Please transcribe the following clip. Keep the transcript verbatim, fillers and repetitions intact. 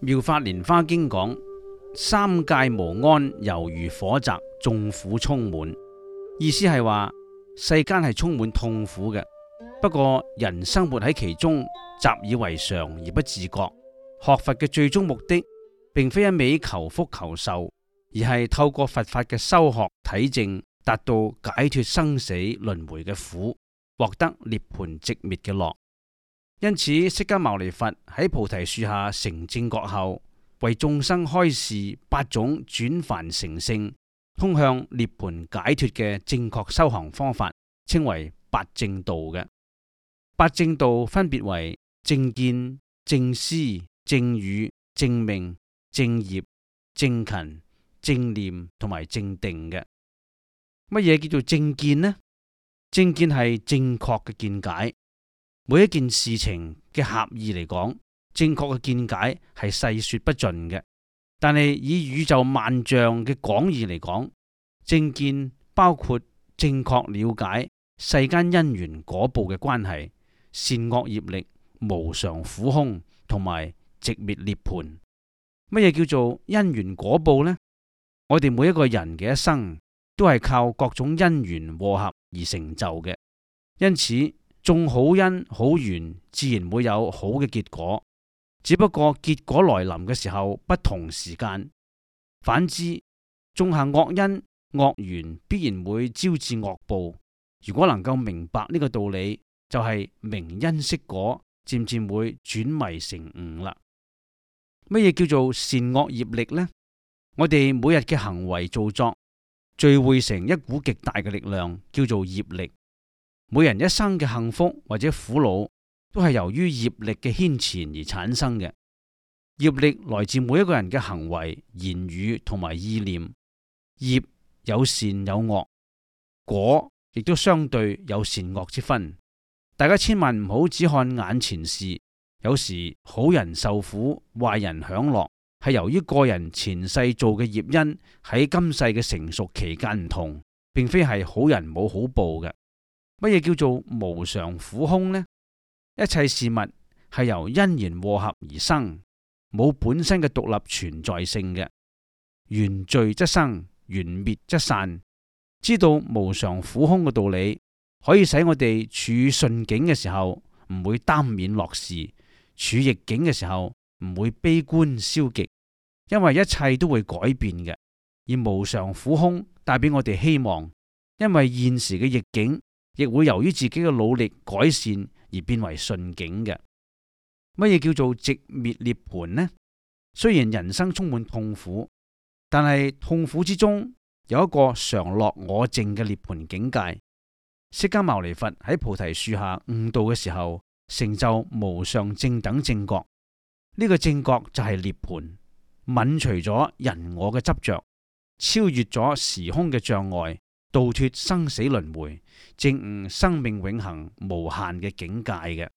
妙法蓮華經講，三界無安，猶如火宅，眾苦充滿。意思係話世間係充滿痛苦嘅，不過人生活喺其中，習以為常而不自覺。學佛嘅最終目的，並非一味求福求壽，而係透過佛法嘅修學體證，達到解脫生死輪迴嘅苦，獲得涅槃寂滅嘅樂。因此，釋迦牟尼佛喺菩提樹下成正覺後，為眾生開示八種轉凡成聖、通向涅槃解脫嘅正確修行方法，稱為八正道嘅。八正道分別為正見、正思、正語、正命、正業、正勤、正念同埋正定嘅。乜嘢叫做正見呢？正見係正確嘅見解。每一件事情嘅狹義嚟講，正確嘅見解係細說不盡嘅。但係以宇宙萬象嘅廣義嚟講，正見包括正確了解世間因緣果報嘅關係、善惡業力、無常苦空同埋寂滅涅槃。乜嘢叫做因緣果報呢？我哋每一個人嘅一生都係靠各種因緣和合而成就嘅，因此種好因好緣，自然會有好嘅結果。只不過結果來臨嘅時候不同時間。反之，種下惡因惡緣，必然會招致惡報。如果能夠明白呢個道理，就係明因識果，漸漸會轉迷成悟啦。乜嘢叫做善惡業力呢？我哋每日嘅行為造作，聚匯成一股極大嘅力量，叫做業力。每人一生嘅幸福或者苦惱，都係由於業力嘅牽纏而產生嘅。業力來自每一個人嘅行為、言語同埋意念。業有善有惡，果亦都相對有善惡之分。大家千萬唔好只看眼前事，有時好人受苦，壞人享樂，係由於個人前世做嘅業因喺今世嘅成熟期間唔同，並非係好人冇好報嘅。乜嘢叫做無常苦空呢？一切事物係由因緣和合而生，冇本身嘅獨立存在性嘅。緣聚則生，緣滅則散。知道無常苦空嘅道理，可以使我哋處順境嘅時候唔會耽勉樂事，處逆境嘅時候唔會悲觀消極，因為一切都會改變嘅。而無常苦空帶俾我哋希望，因為現時嘅逆境亦會由於自己嘅努力改善而變為順境嘅。乜嘢叫做寂滅涅槃呢？雖然人生充滿痛苦，但係痛苦之中有一個常樂我淨嘅涅槃境界。釋迦牟尼佛喺菩提樹下悟道嘅時候，成就無上正等正覺。呢、這個正覺就係涅槃，泯除咗人我嘅執着，超越咗時空嘅障礙，度脫生死輪迴，證悟生命永恆無限嘅境界嘅。